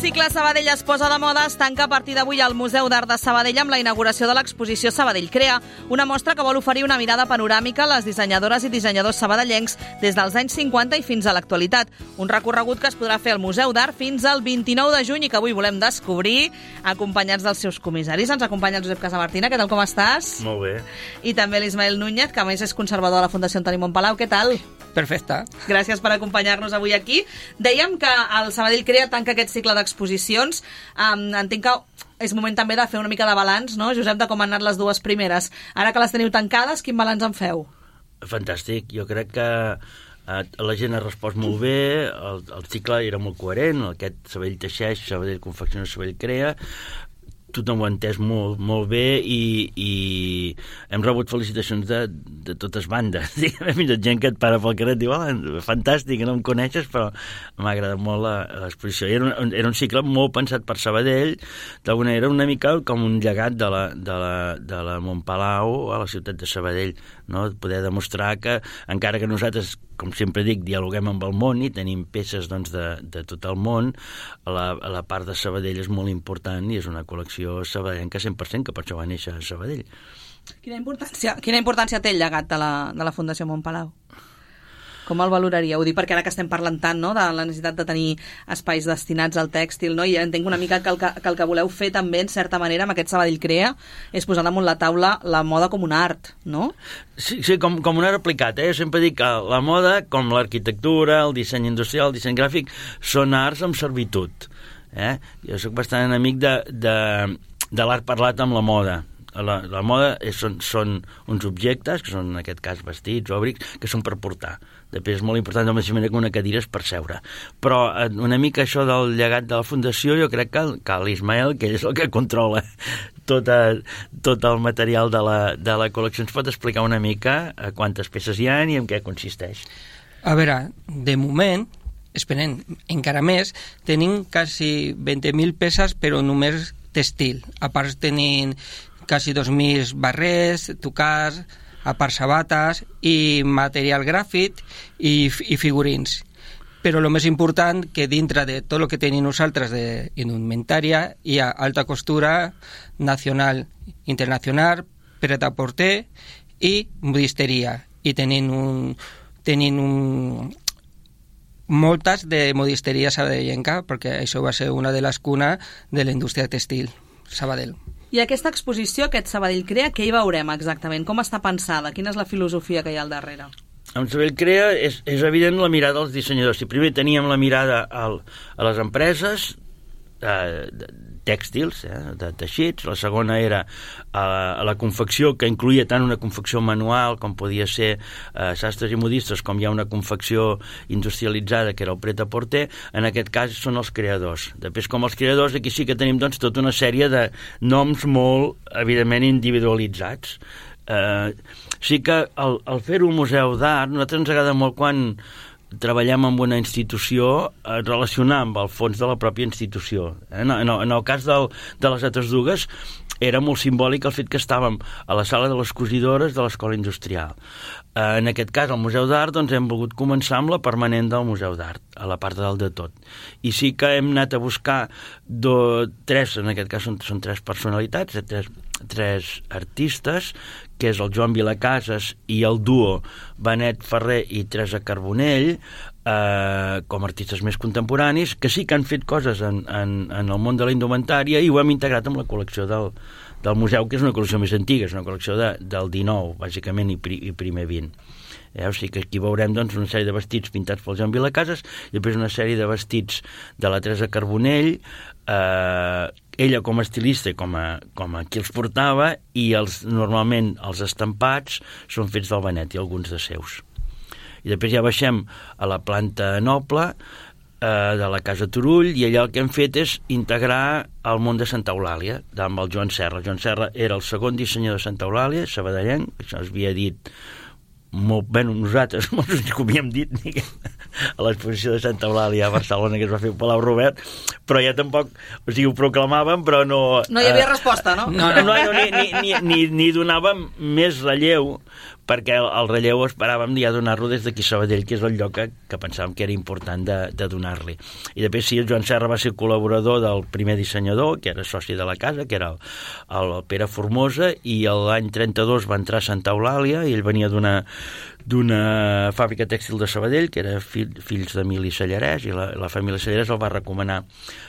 cicle Sabadell es posa de moda es tanca a partir d'avui al Museu d'Art de Sabadell amb la inauguració de l'exposició Sabadell Crea, una mostra que vol oferir una mirada panoràmica a les dissenyadores i dissenyadors sabadellencs des dels anys 50 i fins a l'actualitat. Un recorregut que es podrà fer al Museu d'Art fins al 29 de juny i que avui volem descobrir acompanyats dels seus comissaris. Ens acompanya el Josep Casamartina. Què tal, com estàs? Molt bé. I també l'Ismael Núñez, que a més és conservador de la Fundació Antoni Montpalau. Què tal? Perfecte. Gràcies per acompanyar-nos avui aquí. Dèiem que el Sabadell Crea tanca aquest cicle d'exposicions. Entenc que és moment també de fer una mica de balanç, no, Josep, de com han anat les dues primeres. Ara que les teniu tancades, quin balanç en feu? Fantàstic. Jo crec que la gent ha respost molt bé, el cicle era molt coherent, aquest Sabadell teixeix, Sabadell confecciona, Sabadell crea, tothom ho ha entès molt bé i hem rebut felicitacions de totes bandes. Fins i gent que et para pel carrer et diu fantàstic, no em coneixes, però m'ha agradat molt l'exposició. Era un cicle molt pensat per Sabadell, d'alguna manera una mica com un llegat de la Montpalau a la ciutat de Sabadell, no? Poder demostrar que, encara que nosaltres, com sempre dic, dialoguem amb el món i tenim peces de tot el món, la part de Sabadell és molt important i és una col·lecció sabadellenca 100%, que per això va néixer a Sabadell. Quina importància té el llegat de la Fundació Montpalau? Com el valoraria? Ho dic perquè ara que estem parlant tant, no, de la necessitat de tenir espais destinats al tèxtil, no? I entenc una mica que el que voleu fer també, en certa manera, amb aquest Sabadell Crea, és posar damunt la taula la moda com un art, no? Sí, com un art aplicat. Jo sempre dic que la moda, com l'arquitectura, el disseny industrial, el disseny gràfic, són arts amb servitud. Jo soc bastant enemic de l'art parlat amb la moda. La moda són uns objectes, que són en aquest cas vestits o abrics, que són per portar. Després és molt important, de la mateixa manera que una cadira és per seure. Però una mica això del llegat de la Fundació, jo crec que l'Ismael, que ell és el que controla tot el material de la col·lecció, ens pot explicar una mica quantes peces hi ha i en què consisteix. A veure, de moment, esperem encara més, tenim quasi 20.000 peces, però només textil. A part tenim quasi 2.000 barrets, tocars, a part sabates i material gràfic i figurins. Però el més important, que dintre de tot el que tenim nosaltres d'indumentària hi ha alta costura, nacional, internacional, pret-a-porter i modisteria. I tenim moltes de modisteria sabadellenca, perquè això va ser una de les cunes de la indústria textil Sabadell. I aquesta exposició, aquest Sabadell Crea, què hi veurem exactament? Com està pensada? Quina és la filosofia que hi ha al darrere? Amb Sabadell Crea és evident la mirada dels dissenyadors. Si primer teníem la mirada a les empreses tèxtils, de teixits, la segona era a la confecció, que incluïa tant una confecció manual com podia ser sastres i modistes, com hi ha una confecció industrialitzada que era el pret-a-porter. En aquest cas són els creadors. Després, com els creadors, aquí sí que tenim doncs tota una sèrie de noms molt evidentment individualitzats. Sí que el fer-ho un museu d'art, a nosaltres ens agrada molt quan treballem amb una institució relacionar amb el fons de la pròpia institució. En el cas de les altres dues era molt simbòlic el fet que estàvem a la sala de les cosidores de l'Escola Industrial. En aquest cas, al Museu d'Art, doncs hem volgut començar amb la permanent del Museu d'Art, a la part de dalt de tot. I sí que hem anat a buscar tres, en aquest cas són tres personalitats, tres artistes, que és el Joan Vilacases i el duo Benet Ferrer i Teresa Carbonell, com a artistes més contemporanis, que sí que han fet coses en el món de la indumentària i ho hem integrat amb la col·lecció del museu, que és una col·lecció més antiga, és una col·lecció del 19, bàsicament, i primer 20. O sigui que aquí veurem doncs, una sèrie de vestits pintats pel Joan Vilacases i després una sèrie de vestits de la Teresa Carbonell, ella com a estilista i com a qui els portava, i normalment els estampats són fets del Benet i alguns de seus. I després ja baixem a la planta noble de la Casa Turull, i allà el que hem fet és integrar el món de Santa Eulàlia amb el Joan Serra. El Joan Serra era el segon dissenyador de Santa Eulàlia, sabadellenc, això es havia dit molt bé, nosaltres no ho havíem dit a l'exposició de Santa Eulàlia a Barcelona, que es va fer al Palau Robert, però ja tampoc, o sigui, ho proclamàvem, però no... No hi havia resposta, no? No, ni donàvem més relleu, perquè el relleu esperàvem ja donar-lo des d'aquí a Sabadell, que és el lloc que pensàvem que era important de donar-li. I després sí, el Joan Serra va ser col·laborador del primer dissenyador, que era soci de la casa, que era el Pere Formosa, i l'any 32 va entrar a Santa Eulàlia, i ell venia d'una fàbrica tèxtil de Sabadell, que era fills d'Emili Sallarès, i la família Sallarès el va recomanar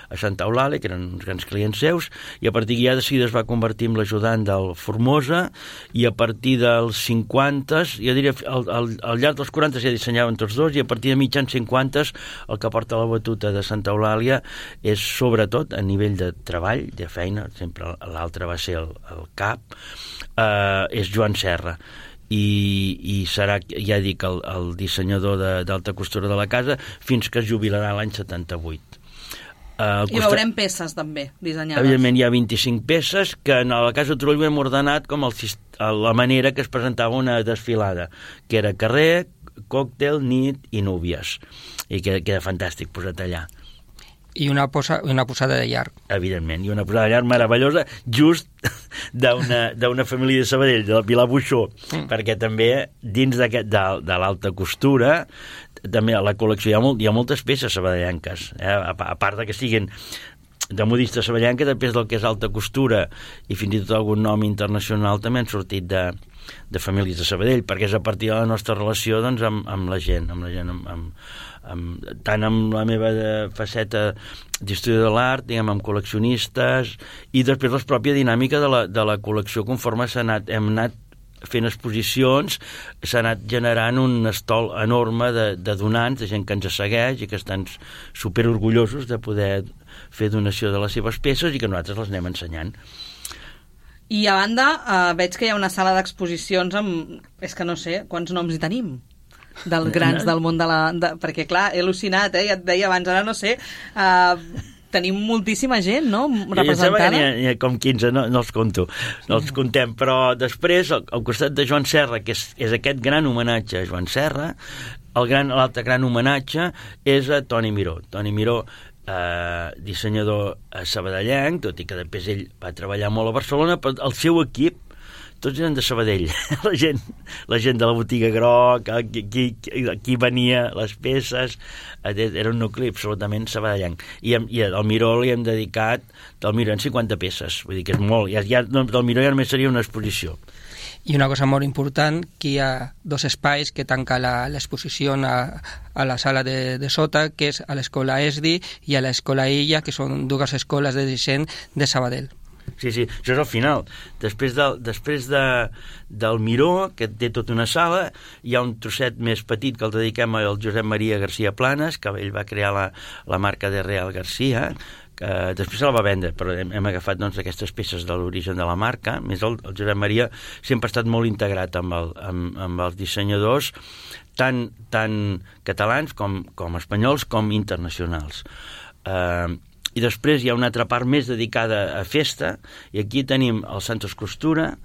a Santa Eulàlia, que eren uns grans clients seus, i a partir ja de seguida es va convertir en l'ajudant del Formosa, i a partir dels 50, jo diria, al llarg dels 40 ja dissenyaven tots dos, i a partir de mitjans 50 el que porta la batuta de Santa Eulàlia és sobretot a nivell de treball, de feina, sempre l'altre va ser el cap, és Joan Serra. I serà, ja dic, el dissenyador d'alta costura de la casa fins que es jubilarà l'any 78. I veurem peces també dissenyades. Evidentment hi ha 25 peces que a la Casa Turull hem ordenat com la manera que es presentava una desfilada, que era carrer, còctel, nit i núvies, i queda fantàstic posat allà. I una posada de llarg. Evidentment, i una posada de llarg meravellosa, just d'una família de Sabadell, de la Pilar Buixó, perquè també dins de l'alta costura, també a la col·lecció hi ha moltes peces sabadellenques, a part que siguin de modista sabadellenca, després del que és alta costura i fins i tot algun nom internacional també han sortit de famílies de Sabadell, perquè és a partir de la nostra relació doncs, amb la gent, tant amb la meva faceta d'història de l'art, diguem, amb col·leccionistes, i després la pròpia dinàmica de la col·lecció conforme hem anat fent exposicions, s'ha anat generant un estol enorme de donants, de gent que ens segueix i que estan superorgullosos de poder fer donació de les seves peces i que nosaltres les anem ensenyant. I a banda, veig que hi ha una sala d'exposicions amb... És que no sé quants noms hi tenim dels grans del món perquè clar, he al·lucinat, ja et deia abans, ara no sé, tenim moltíssima gent, no?, representada. N'hi ha com 15, no els conto, no els contem, però després, al costat de Joan Serra, que és aquest gran homenatge a Joan Serra, l'altre gran homenatge és a Toni Miró. Toni Miró, dissenyador sabadellenc, tot i que després ell va treballar molt a Barcelona, però el seu equip tots eren de Sabadell, la gent de la botiga groc, qui venia les peces, era un nucli absolutament sabadellenc. I al Miró li hem dedicat, del Miró en 50 peces, vull dir que és molt, del Miró ja només seria una exposició. I una cosa molt important, que hi ha dos espais que tanca l'exposició a la sala de sota, que és a l'Escola ESDI i a l'Escola Illa, que són dues escoles de disseny de Sabadell. Sí, això és al final. Després del Miró, que té tota una sala, hi ha un trosset més petit que el dediquem al Josep Maria García Planas, que ell va crear la marca de Real García, que després se la va vendre, però hem agafat doncs, aquestes peces de l'origen de la marca. A més, el Josep Maria sempre ha estat molt integrat amb els dissenyadors, tant catalans com espanyols com internacionals. I després hi ha una altra part més dedicada a festa, i aquí tenim el Santos Costura,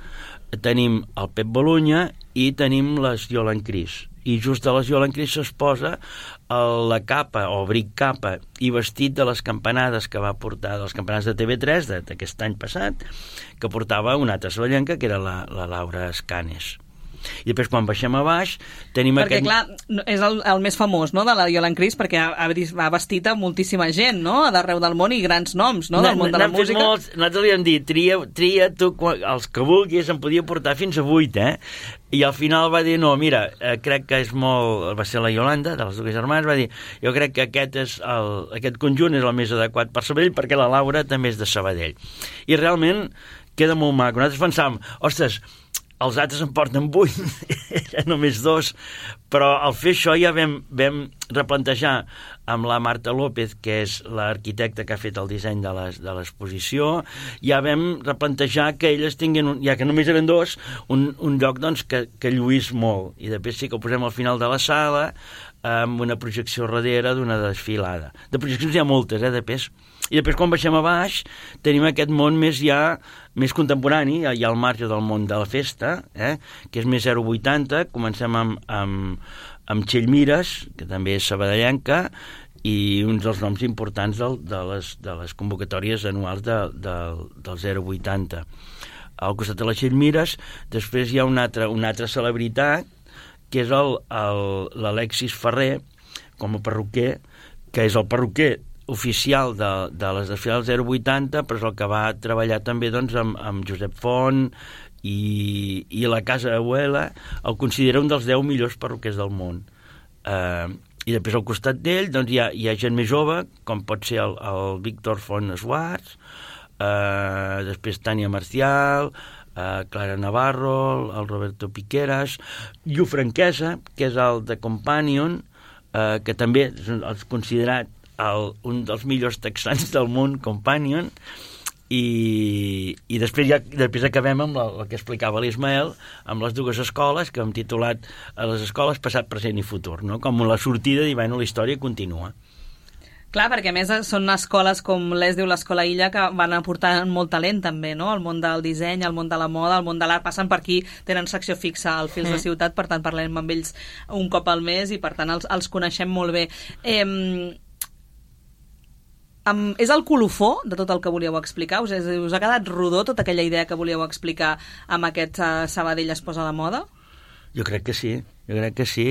tenim el Pep Bolunya i tenim les Yolan Cris. I just de les Yolan Cris es posa la capa o abric capa i vestit de les campanades que va portar, de les campanades de TV3 d'aquest any passat, que portava una altra sabadellenca, que era la Laura Escanes. I després quan baixem a baix tenim perquè clar, és el més famós, no?, de la Yolan Cris, perquè ha vestit a moltíssima gent, no?, d'arreu del món, i grans noms, no?, del món de la música. Nosaltres li hem dit, tria tu els que vulguis, en podia portar fins a 8, i al final va dir, no, mira, crec que és molt... Va ser la Yolanda, de les dues germanes, va dir, jo crec que aquest conjunt és el més adequat per Sabadell, perquè la Laura també és de Sabadell. I realment queda molt maco. Nosaltres pensàvem, ostres, els altres en porten 8, eren només 2, però al fer això ja vam replantejar amb la Marta López, que és l'arquitecta que ha fet el disseny de l'exposició, ja vam replantejar que elles tinguin, ja que només eren 2, un lloc doncs, que lluís molt, i després sí que ho posem al final de la sala, amb una projecció darrere d'una desfilada. De projeccions hi ha moltes, de pes. I després, quan baixem a baix, tenim aquest món més contemporani, ja al marge del món de la festa, que és més 080. Comencem amb Txell Mires, que també és sabadellenca, i uns dels noms importants de les convocatòries anuals del 080. al costat de les Xellmires. Després hi ha una altra celebritat, que és l'Alexis Ferrer, com a perruquer, que és el perruquer oficial de les desfilades 080, però és el que va treballar també doncs, amb Josep Font i la Casa Abuela. El considera un dels 10 millors perruquers del món. I després al costat d'ell doncs, hi ha gent més jove, com pot ser el Víctor Font Schwartz, després Tània Marcial, Clara Navarro, el Roberto Piqueras, Llu Franquesa, que és el de Companion, que també és considerat un dels millors texans del món, Companion, i després acabem amb el que explicava l'Ismael, amb les dues escoles, que hem titulat a les escoles Passat, Present i Futur, no? Com la sortida i la història continua. Clar, perquè a més són escoles com diu l'Escola Illa, que van aportar molt talent també, no? El món del disseny, el món de la moda, el món de l'art, passen per aquí, tenen secció fixa al Fils de Ciutat, per tant parlem amb ells un cop al mes i per tant els coneixem molt bé. És el colofó de tot el que volíeu explicar? Us ha quedat rodó tota aquella idea que volíeu explicar amb aquest Sabadell es posa a la moda? Jo crec que sí,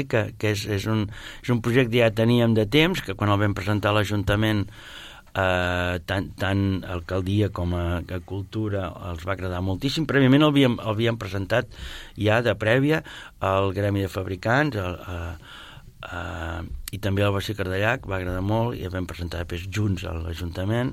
que és un projecte que ja teníem de temps, que quan el vam presentar a l'Ajuntament, tant alcaldia com a cultura els va agradar moltíssim. Prèviament l'havíem presentat ja de prèvia al Gremi de Fabricants, i també al Bací Cardellac, va agradar molt, i el vam presentar després junts a l'Ajuntament,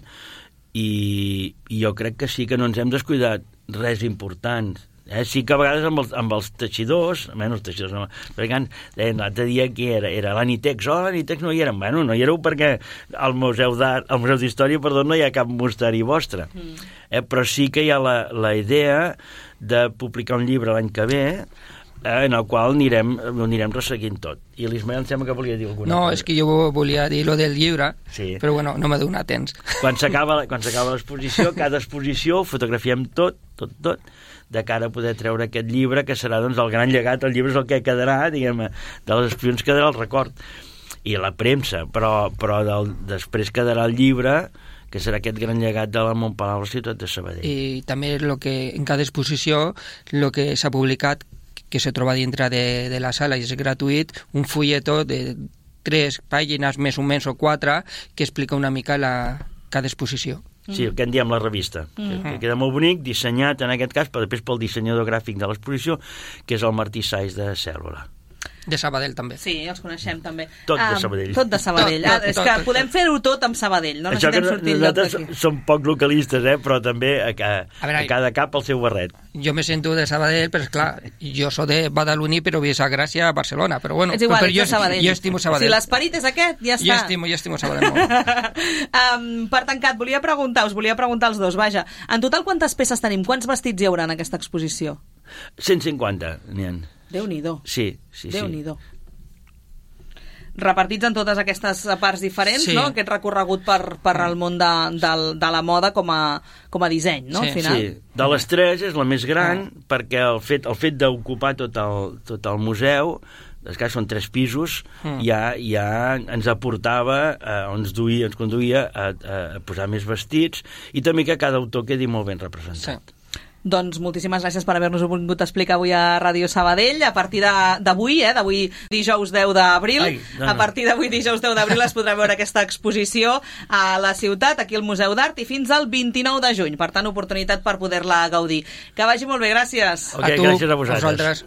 i jo crec que sí que no ens hem descuidat res important. Sí que a vegades amb els teixidors, almenys els teixidors no, perquè deien l'altre dia que era l'Anitex, l'Anitex no hi érem. Bueno, no hi éreu perquè al Museu d'Història, no hi ha cap mosteri vostre. Però sí que hi ha la idea de publicar un llibre l'any que ve, en el qual anirem resseguint tot. I l'Ismael em sembla que volia dir alguna cosa. No, és que jo volia dir lo del llibre, sí. Però bueno, no m'ha donat temps. Quan s'acaba l'exposició, cada exposició ho fotografiem tot, de cara a poder treure aquest llibre, que serà doncs, el gran llegat. El llibre és el que quedarà, diguem, de les exposicions quedarà el record. I la premsa, però després quedarà el llibre, que serà aquest gran llegat de la Montpalau, la ciutat de Sabadell. I també en cada exposició, el que s'ha publicat, que se troba dintre de la sala i és gratuït, un fulletó de 3 pàgines, més o menys, o 4, que explica una mica cada exposició. Sí, el que en diem la revista, que queda molt bonic, dissenyat en aquest cas, però després pel dissenyador gràfic de l'exposició, que és el Martí Saiz de Cèl·lula. De Sabadell, també. Sí, els coneixem, també. Tot de Sabadell. Tot de Sabadell. És que podem fer-ho tot amb Sabadell, no necessitem sortir enlloc d'aquí. Som poc localistes, però també a cada cap el seu barret. Jo me sento de Sabadell, però esclar, jo soc de Badaloní, però visc a Gràcia, a Barcelona, però bueno. És igual, ets de Sabadell. Jo estimo Sabadell. Si l'esperit és aquest, ja està. Jo estimo Sabadell molt. Per tancat, us volia preguntar als dos, vaja, en total quantes peces tenim? Quants vestits hi haurà en aquesta exposició? 150 n'hi ha. Déu-n'hi-do. Sí. Déu-n'hi-do. Repartits en totes aquestes parts diferents, sí. No? Aquest recorregut per al món de la moda com a disseny, no? Sí. Al final. Sí. De les 3 és la més gran, perquè el fet d'ocupar tot el museu, que són 3 pisos, ja ens aportava, ens conduïa a posar més vestits, i també que cada autor quedi molt ben representat. Sí. Doncs moltíssimes gràcies per haver-nos-ho vingut a explicar avui a Ràdio Sabadell. A partir d'avui, d'avui dijous 10 d'abril, a partir d'avui dijous 10 d'abril es podrà veure aquesta exposició a la ciutat, aquí al Museu d'Art, i fins al 29 de juny. Per tant, oportunitat per poder-la gaudir. Que vagi molt bé, gràcies. Okay, gràcies a vosaltres.